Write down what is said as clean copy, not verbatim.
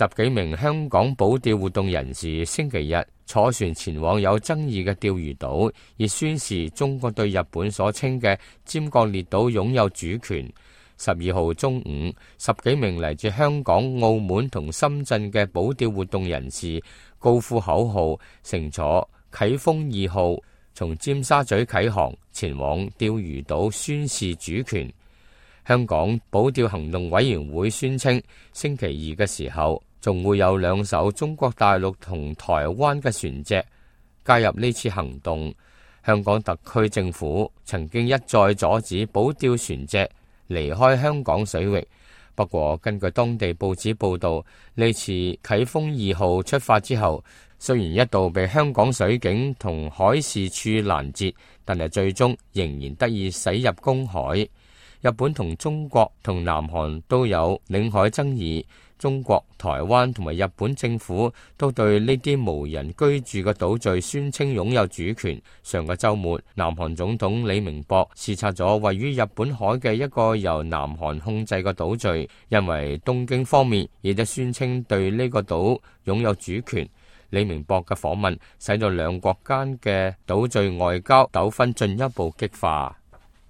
10幾名香港保釣活動人士星期日坐船前往有爭議嘅釣魚島，以宣示中國對日本所稱嘅尖閣列島擁有主權。12號中午，10幾名嚟自香港、澳門同深圳嘅保釣活動人士高呼口號，乘坐啟豐2號從尖沙咀啟航，前往釣魚島宣示主權。香港保釣行動委員會宣稱，星期二嘅時候，仲會有2艘中國大陸同台灣嘅船隻加入呢次行動。香港特區政府曾經一再阻止保釣船隻離開香港水域，不過根據當地報紙報道，呢次啟豐2號出發之後，雖然一度被香港水警同海事處攔截，但係最終仍然得以駛入公海。日本同中國同南韓都有領海爭議，中國、台灣同埋日本政府都對呢啲無人居住嘅島嶼宣稱擁有主權。上個週末，南韓總統李明博視察咗位於日本海嘅一個由南韓控制嘅島嶼，因為東京方面亦都宣稱對呢個島擁有主權。李明博嘅訪問使到兩國間嘅島嶼外交糾紛進一步激化。